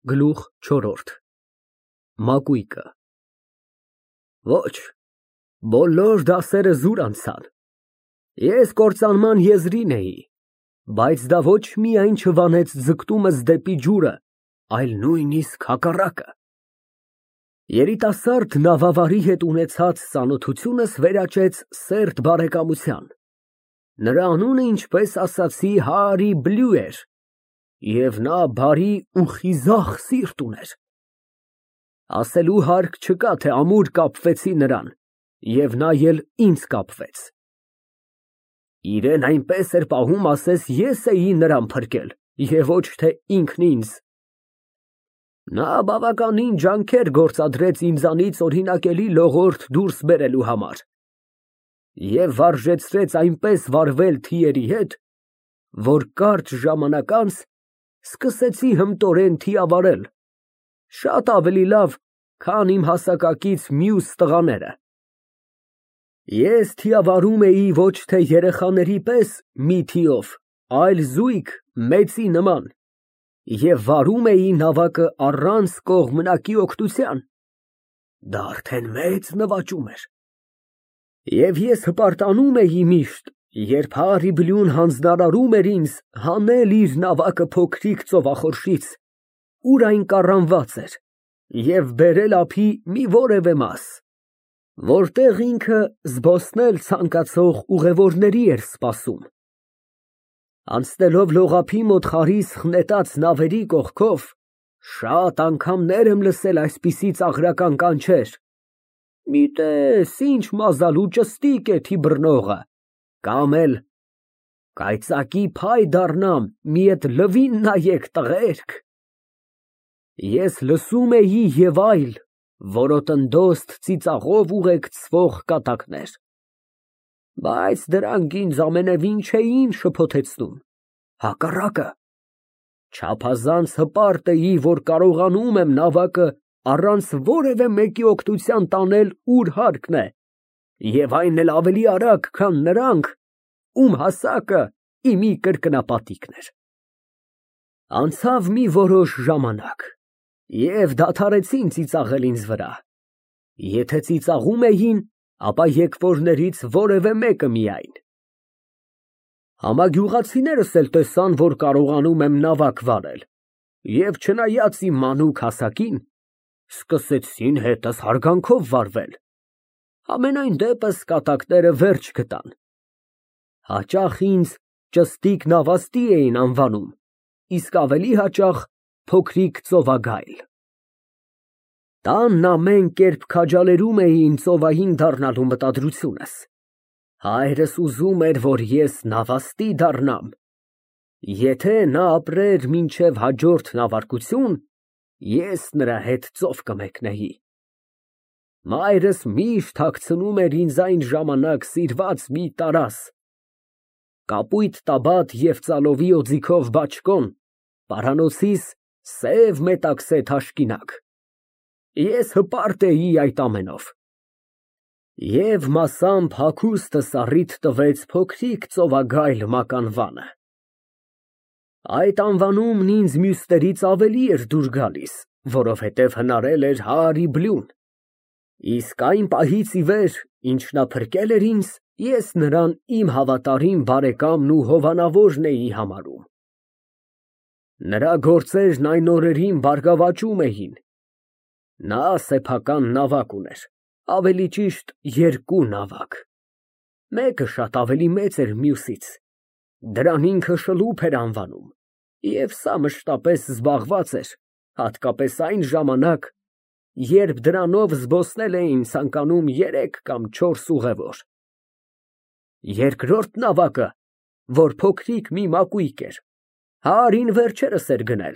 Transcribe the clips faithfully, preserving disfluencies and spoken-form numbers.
Գլուխ չորրորդ ՄԱԿՈՒԻԿԸ Ոչ, բոլոր դասերը զուր անցան, ես կործանման եզրին էի, բայց դա ոչ միայն չվանեց ձգտումս դեպի ջուրը, այլ նույնիսկ հակառակը։ Երիտասարդ նավավարի հետ ունեցած ծանոթությունս վերաճեց սերտ բարեկամության, նրա անունը, ինչպես ասացի, Հարի Բլու էր, և նա բարի ու խիզախ սիրտ ուներ։ Ասելու հարկ չկա, թե ամուր կապվեցի նրան, և նա էլ ինձ կապվեց։ Իրեն այնպես էր պահում, ասես ես էի նրան փրկել, և ոչ թե ինքն ինձ։ Նա բավականին ջանքեր գործադրեց ինձանից օրինակելի լողորդ դուրս բերելու համար և վարժեցրեց այնպես վարվել թիերի հետ, որ կարճ ժամանակ անց սկսեցի հմտորեն թիավարել, շատ ավելի լավ, քան իմ հասակակից մյուս տղաները։ Ես թիավարում էի ոչ թե երեխաների պես մի թիով, այլ զույգ մեծի նման, և վարում էի նավակը առանց կողմնակի օգնության։ Դա արդեն մեծ նվաճում էր։ Եվ ես հպարտանում էի միշտ, երբ Հարի Բլուն հանձնարարում էր ինձ հանել իր նավակը փոքրիկ ծովախորշից, ուր այն կառանված էր, և բերել ափի մի որևէ մաս, որտեղ ինքը զբոսնել ցանկացող ուղևորների էր սպասում։ Անցնելով լողափի մոտ խարիսխ նետած նավերի կողքով, շատ անգամներ եմ լսել այսպիսի ծաղրական կանչեր. «Մի տես, ինչ մազալու ճստիկ է թիբռնողը», կամ էլ «Կայծակի փայ դառնամ, մի էդ լվին նայեք, տղերք»։ Ես լսում էի և այլ որոտնդոստ ծիծաղով ուղեկցվող կատակներ, բայց դրանք ինձ ամենևին չէին շփոթեցնում, հակառակը, չափազանց հպարտ էի, որ կարողանում եմ նավակը առանց որևէ մեկի օգնության տանել ուր հարկն է, և այն էլ ավելի արագ, քան նրանք, ում հասակը իմի կրկնապատիկն էր։ Անցավ մի որոշ ժամանակ, և դադարեցին ծիծաղել ինձ վրա, եթե ծիծաղում էին, ապա եկվորներից որևէ մեկը միայն։ Համագյուղացիներս էլ տեսան, որ կարողանում եմ նավակ վարել, և չնայած իմ մանուկ հասակին, սկսեցին հետս հարգանքով վարվել, համենայն դեպս կատակները վերջ գտան, հաճախ ինձ ճստիկ նավաստի էին անվանում, իսկ ավելի հաճախ փոքրիկ ծովագայլ։ Տանն ամեն կերպ քաջալերում էին ծովային դառնալու մտադրությունս, հայրս ուզում էր, որ ես նավաստի դառնամ, եթե նա ապրեր մինչև հաջորդ նավարկություն, ես նրա հետ ծով կմեկնեի։ Մայրս միշտ հագցնում էր ինձ այն ժամանակ սիրված մի տարազ, կապույտ տաբատ և ծալովի օձիքով բաճկոն, պարանոցիս սև մետաքսե թաշկինակ։ Ես հպարտ էի այդ ամենով։ Եվ մասամբ հագուստս առիթ տվեց փոքրիկ ծովագայլ մականվանը։ Այդ անվանումն ինձ մյուսներից ավելի էր դուր գալիս, որովհետև հնարել էր Հարի Բլուն, իսկ այն պահից ի վեր, ինչ նա փրկել էր ինձ, ես նրան իմ հավատարիմ բարեկամն ու հովանավորն էի համարում։ Նրա գործերն այն օրերին բարգավաճում էին։ Նա սեփական նավակ ուներ, ավելի ճիշտ երկու նավակ, մեկը շատ ավելի մեծ էր մյուսից, դրան ինքը շլուփ էր անվանում, և սա մշտապես զբաղված էր, հատկապես այն ժամանակ, երբ դրանով զբոսնել էին ցանկանում երեք կամ չորս ուղևոր։ Երկրորդ նավակը, որ փոքրիկ մի մակույկ էր, Հարին վերջերս էր գնել,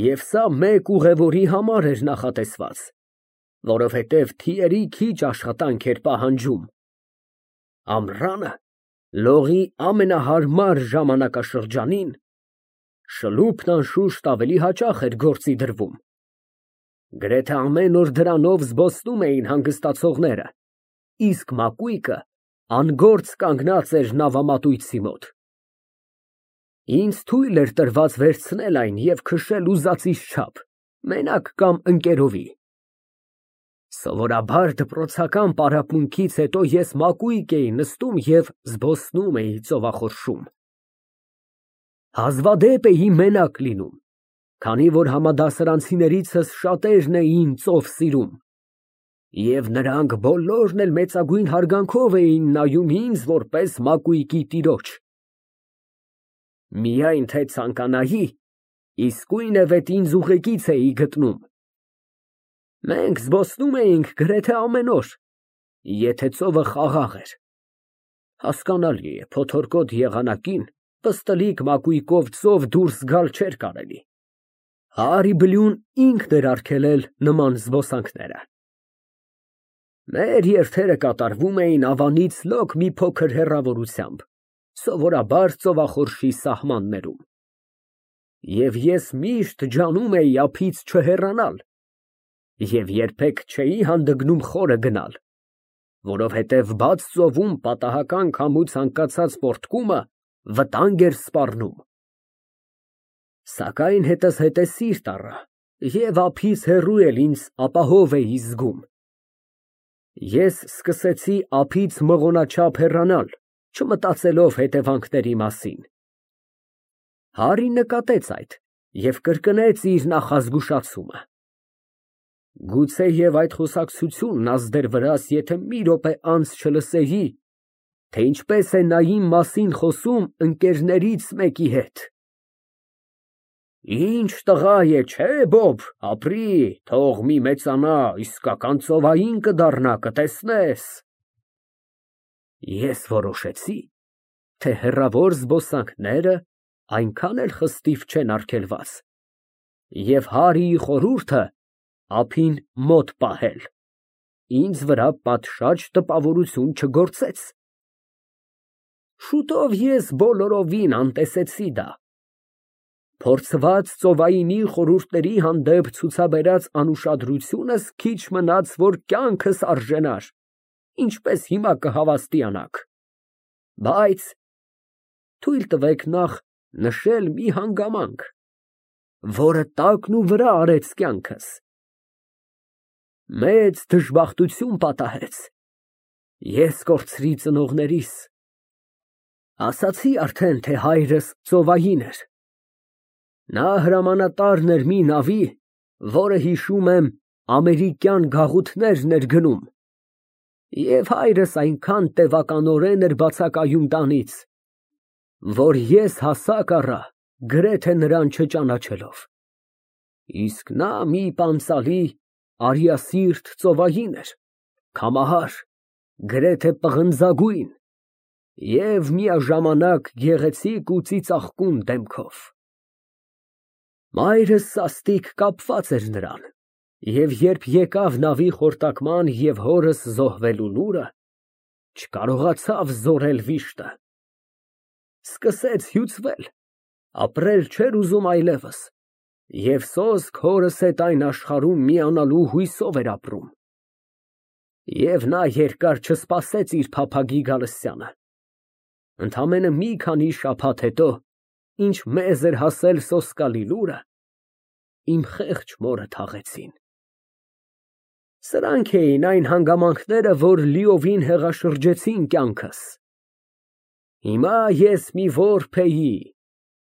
և սա մեկ ուղևորի համար էր նախատեսված, որովհետև թիերի քիչ աշխատանք էր պահանջում։ Ամռանը, լողի ամենահարմար ժամանակաշրջանին, շլուփն անշուշտ ավելի հաճախ էր գործի դրվում։ Գրեթե ամեն օր դրանով զբոսնում էին հանգստացողները, իսկ մակույկը անգործ կանգնած էր նավամատույցի մոտ։ Ինձ թույլ էր տրված վերցնել այն և քշել ուզածիս չափ, մենակ կամ ընկերովի։ Սովորաբար դպրոցական պարապմունքից հետո ես մակույկ էի նստում և զբոսնում էի ծովախորշում։ Հազվադեպ էի մենակ լինում, քանի որ համադասարանցիներիցս շատերն էին ծով սիրում, և նրանք բոլորն էլ մեծագույն հարգանքով էին նայում ինձ որպես մակույկի տիրոջ։ Միայն թե ցանկանայի, իսկույնևեթ ինձ ուղեկից էի գտնում։ Մենք զբոսնում էինք գրեթե ամեն օր, եթե ծովը խաղաղ էր։ Հասկանալի է, փոթորկոտ եղանակին պստլիկ մակույկով ծով դուրս գալ չէր կարելի։ Հարի Բլյուն ինքն էր արգելել նման զբոսանքները։ Մեր երթերը կատարվում էին ավանից լոկ մի փոքր հեռավորությամբ, սովորաբար ծովախորշի սահմաններում։ Եվ ես միշտ ջանում էի ափից չհեռանալ և երբեք չէի հանդգնում խորը գնալ, որովհետև բաց ծովում պատահական քամու ցանկացած պոռթկումը վտանգ էր սպառնում։ Սակայն հետզհետե սիրտ առա և ափից հեռու էլ ինձ ապահով էի զգում։ Ես սկսեցի ափից մղոնաչափ հեռանալ, չմտածելով հետևանքների մասին։ Հարին նկատեց այդ և կրկնեց իր նախազգուշացումը։ Գուցեև այդ խոսակցությունն ազդեր վրաս, եթե մի րոպե անց չլսեի, թե ինչպես է նա իմ մասին խոսում ընկերներից մեկի հետ։ Ինչ տղա է, չէ՞, Բոբ, ապրի, թող մի մեծանա, իսկական ծովային կդառնա, կտեսնես։ Ես որոշեցի, թե հեռավոր զբոսանքները այնքան էլ խստիվ չեն արգելված, և Հարիի խորհուրդը ափին մոտ պահել ինձ վրա պատշաճ տպավորություն չգործեց։ Շուտով ես բոլորովին անտեսեցի դա։ Փորձված ծովայինի խորհուրդների հանդեպ ցուցաբերած անուշադրությունս քիչ մնաց, որ կյանքս արժենար, ինչպես հիմա կհավաստիանաք։ Բայց թույլ տվեք նախ նշել մի հանգամանք, որը տակն ու վրա արեց կյանքս։ Մեծ դժբախտություն պատահեց։ Ես կորցրի ծնողներիս։ Ասացի արդեն, թե հայրս ծովային էր։ Նա հրամանատարն էր մի նավի, որը, հիշում եմ, ամերիկյան գաղութներն էր գնում, և հայրս այնքան տևականորեն էր բացակայում տանից, որ ես հասակ առա գրեթե նրան չճանաչելով։ Իսկ նա մի պանծալի, արիասիրտ ծովային էր, քամահար, գրեթե պղնձագույն և միաժամանակ գեղեցիկ ու ծիծաղկուն դեմքով։ Մայրս սաստիկ կապված էր նրան, և երբ եկավ նավի խորտակման և հորս զոհվելու լուրը, չկարողացավ զորել վիշտը։ Սկսեց հյուծվել, ապրել չէր ուզում այլևս և սոսկ հորս հետ այն աշխարհում միանալու հույսով էր ապրում։ Եվ նա երկար չսպասեց իր փափագի գալստյանը։ Ընդամենը մի քանի շաբաթ հետո, ինչ մեզ էր հասել սոսկալի լուրը, իմ խեղճ մորը թաղեցին։ Սրանք էին այն հանգամանքները, որ լիովին հեղաշրջեցին կյանքս։ Հիմա ես մի որբ էի,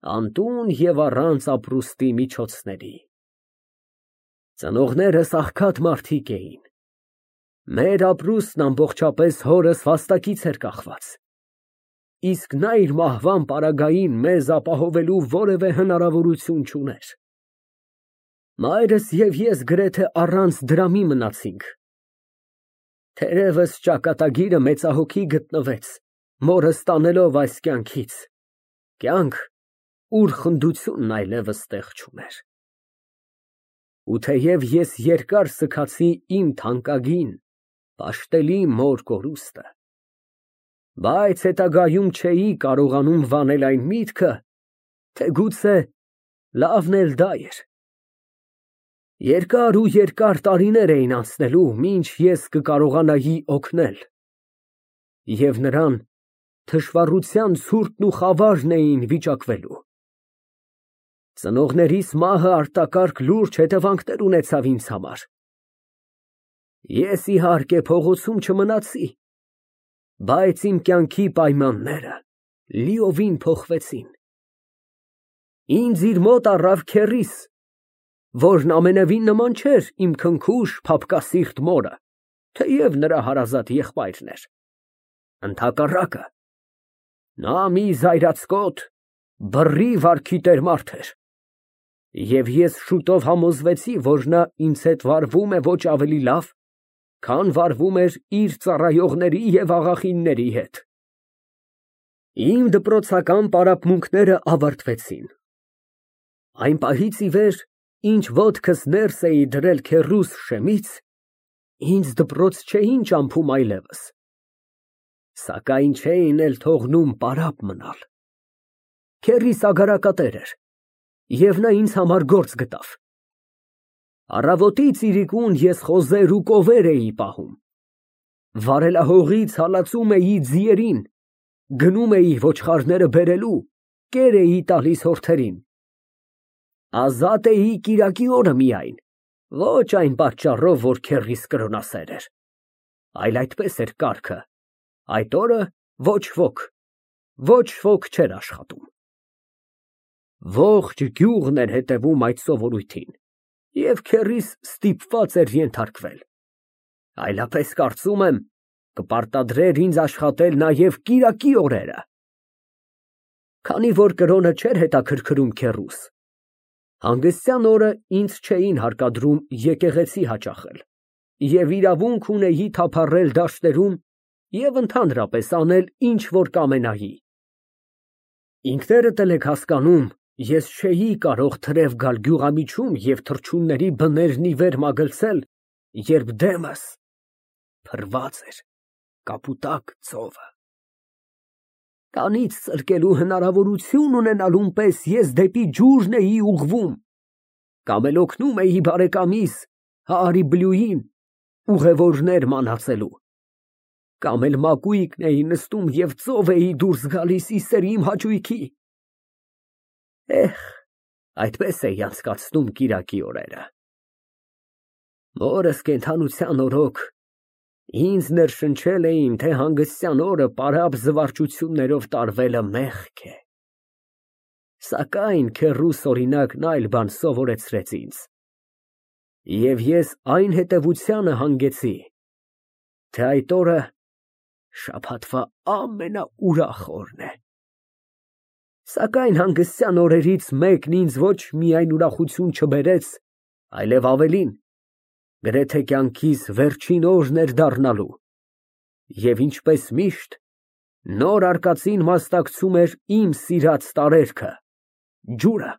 անտուն և առանց ապրուստի միջոցների։ Ծնողներս աղքատ մարդիկ էին։ Մեր ապրուստն ամբողջապես հորս վաստակից էր կախված, իսկ նա իր մահվան պարագային մեզ ապահովելու որևէ հնարավորություն չուներ։ Մայրս և ես գրեթե առանց դրամի մնացինք։ Թերևս ճակատագիրը մեծահոգի գտնվեց, մորս տանելով այս կյանքից, կյանք, ուր խնդությունն այլևս տեղ չուներ։ Ու թեև ես երկար սգացի իմ թանկագին, պաշտելի մոր կորուստը, բայց հետագայում չէի կարողանում վանել այն միտքը, թե գուցե լավն էլ դա էր։ Երկար ու երկար տարիներ էին անցնելու, մինչ ես կկարողանայի օգնել, և նրան թշվառության ցուրտն ու խավարն էին վիճակվելու։ Ծնողներիս մահը արտակարգ լուրջ հետևանքներ ունեցավ ինձ համար։ Ես իհարկե փողոցում չմնացի, բայց իմ կյանքի պայմանները լիովին փոխվեցին։ Ինձ իր մոտ առավ քեռիս, որն ամենևին նման չէր իմ քնքուշ, փափկասիրտ մորը, թեև նրա հարազատ եղբայրն էր։ Ընդհակառակը, նա մի զայրացկոտ, բռի վարքի տեր մարդ էր, և ես շուտով համոզվեցի, որ նա ինձ հետ վարվում է ոչ ավելի լավ, քան վարվում էր իր ծառայողների և աղախինների հետ։ Իմ դպրոցական պարապմունքները ավարտվեցին։ Այն պահից ի վեր, ինչ ոտքս ներս էի դրել քեռուս շեմից, ինձ դպրոց չէին ճամփում այլևս, սակայն չէին էլ թողնում պարապ մնալ։ Քեռիս ագարակատեր էր, և նա ինձ համար գործ գտավ։ Առավոտից իրիկուն ես խոզեր ու կովեր էի պահում, վարելահողից հալածում էի ձիերին, գնում էի ոչխարները բերելու, կեր էի տալիս հորթերին։ Ազատ էի կիրակի օրը միայն, ոչ այն պատճառով, որ քեռիս կրոնասեր էր, այլ այդպես էր կարգը, այդ օրը ոչ ոք, ոչ ոք չէր աշխատում։ Ողջ գյուղն էր հետևում այդ սովորույթին, և քեռիս ստիպված էր ենթարկվել, այլապես, կարծում եմ, կպարտադրեր ինձ աշխատել նաև կիրակի օրերը։ Քանի որ կրոնը չէր հետաքրքրում քեռուս, հանգստյան օրը ինձ չէին հարկադրում եկեղեցի հաճախել, և իրավունք ունեի թափառել դաշտերում և ընդհանրապես անել, ինչ որ կամենայի։ Ինքներդ էլ եք հասկանում, ես չէի կարող թրև գալ գյուղամիջում և թռչունների բներն ի վեր մագլցել, երբ դեմս փռված էր կապուտակ ծովը։ Տանից ծլկելու հնարավորություն ունենալուն պես ես դեպի ջուրն էի ուղղվում, կամ էլ օգնում էի բարեկամիս Հարիբլյուին ուղևորներ մանածելու, կամ էլ մակույկն էի նստում և ծով էի դուրս գալիս ի սեր իմ հաճույքի։ Էհ, այդպես էի անցկացնում կիրակի օրերը։ Մորս կենդանության օրոք ինձ ներշնչել էին, թե հանգստյան օրը պարապ զվարճություններով տարվելը մեղք է, սակայն քեռուս օրինակն այլ բան սովորեցրեց ինձ, և ես այն հետևությանը հանգեցի, թե այդ օրը շաբաթվա ամենաուրախ օրն է։ Սակայն հանգստյան օրերից մեկն ինձ ոչ միայն ուրախություն չբերեց, այլև ավելին, գրեթե կյանքիս վերջին օրն էր դառնալու, և ինչպես միշտ, նոր արկածին մասնակցում էր իմ սիրած տարերքը, ջուրը։